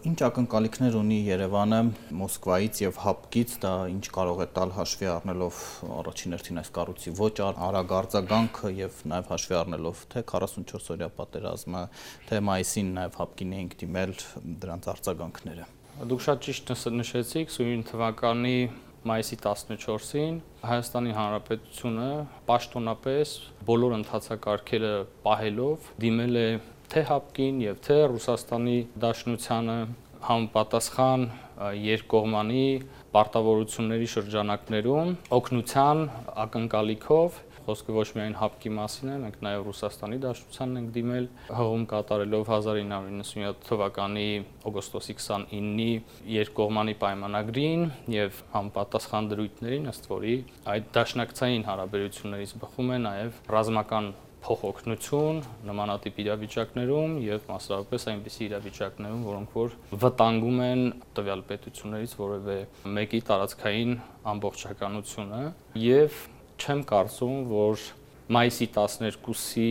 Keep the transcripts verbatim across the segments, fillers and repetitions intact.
Ինչ ակնկալիքներ ունի Երևանը Մոսկվայից եւ ՀԱՊԿ-ից, դա ինչ կարող է տալ հաշվի առնելով առաջին հերթին այս կառույցի ոչ արագ արձագանքը եւ նաեւ հաշվի առնելով թե քառասունչորս-օրյա պատերազմը, թե մայիսին նաեւ ՀԱՊԿ-ին էինք դիմել դրանց արձագանքները։ Դուք շատ ճիշտ նշեցիք, սույն թվականի մայիսի տասնչորսին Հայաստանի Հանրապետությունը պաշտոնապես բոլոր ընթացակարգերը պահելով դիմել է թե ՀԱՊԿ-ին եւ թե Ռուսաստանի Դաշնությանը համապատասխան երկկողմանի պարտավորությունների շրջանակներում օգնության ակնկալիքով, խոսքը ոչ միայն ՀԱՊԿ-ի մասին է, մենք նաեւ Ռուսաստանի Դաշնությանն ենք դիմել, հղում կատարելով հազար ինը հարյուր նվնյոթ թվականի օգոստոսի քսանինի երկկողմանի պայմանագրին եւ համապատասխան դրույթներին, ըստ որի այդ դաշնակցային հարաբերություններից բխում է նաեւ ռազմական փոխօգնություն նմանատիպ իրավիճակներում եւ մասնավորապես այնպիսի իրավիճակներում, որոնք որ վտանգում են տվյալ պետություններից որևէ մեկի տարածքային ամբողջականությունը եւ չեմ կարծում, որ մայիսի տասներկուսի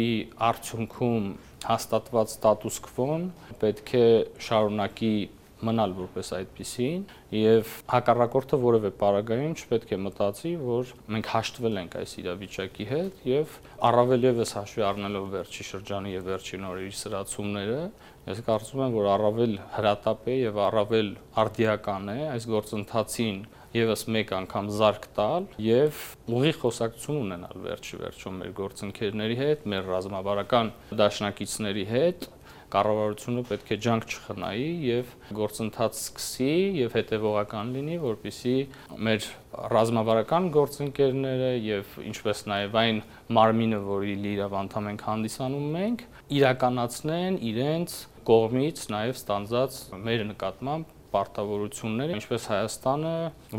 արդյունքում հաստատված ստատուս քվոն պետք է շարունակի մնալ որպես այդպիսին եւ հակառակորդը որևէ պարագայում չպետք է մտածի, որ մենք հաշտվել ենք այս իրավիճակի հետ եւ առավել եւս հաշվի առնելով վերջի շրջանի եւ վերջին օրերի սրացումները, ես կարծում եմ, որ առավել հրատապ է եւ առավել արդիական է այս գործընթացին եւս մեկ անգամ զարկ տալ եւ ուղիղ խոսակցություն ունենալ վերջի վերջում մեր գործընկերների հետ, մեր ռազմավարական դաշնակիցների հետ, կառավարությունը պետք է ջանք չխնայի եւ գործընթաց սկսի եւ հետեւողական լինի, որպեսզի մեր ռազմավարական գործընկերները եւ ինչպես նաեւ այն մարմինը, որի լիիրավ անդամ ենք հանդիսանում մենք, իրականացնեն իրենց կողմից նաեւ ստանձած մեր նկատմամբ պարտավորությունները, ինչպես Հայաստանը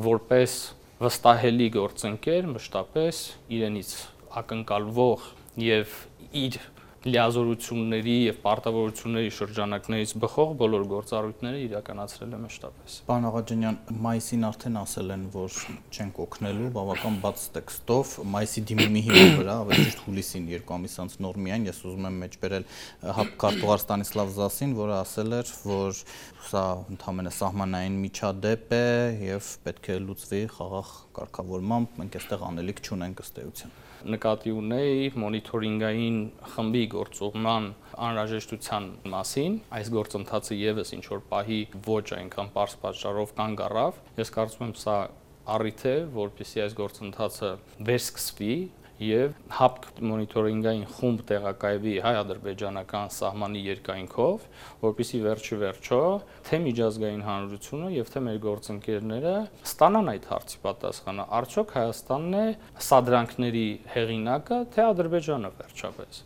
որպես վստահելի գործընկեր մշտապես իրենից ակնկալվող եւ իր լիազորությունների եւ պարտավորությունների շրջանակներից բխող բոլոր գործառույթները իրականացրել է մշտապես։ Պարոն Աղաջանյան, մայիսին արդեն ասել են, որ չենք օգնելու, բավական բաց տեքստով, մայիսի դիմումի հիման վրա, ավելի ճիշտ հուլիսին երկու ամիս անց նոր միայն ես ուզում եմ մեջբերել ՀԱՊԿ քարտուղար Ստանիսլավ Զասին, որը ասել էր, որ սա ընդհանրապես սահմանային միջադեպ է եւ պետք է լուծվի խաղաղ կարգավորմամբ, մենք այստեղ անելիք չունենք ըստ էության։ Նկատի ունեի մոնիթորինգային խմբի գործողման անհրաժեշտության մասին, այս գործընթացը եւս ինչ որ պահի ոչ այնքան པարզ պատճառով կանգ առավ, ես կարծում եմ սա առիթ է, որպեսզի այս գործընթացը վերսկսվի եւ ՀԱՊԿ մոնիթորինգային խումբ տեղակայվի հայ-ադրբեջանական սահմանի երկայնքով, որպեսզի վերջի վերջո թե միջազգային հանրությունը եւ թե մեր գործընկերները ստանան այդ հարցի պատասխանը, արդյոք Հայաստանն է սադրանքների հեղինակը, թե Ադրբեջանը վերջապես։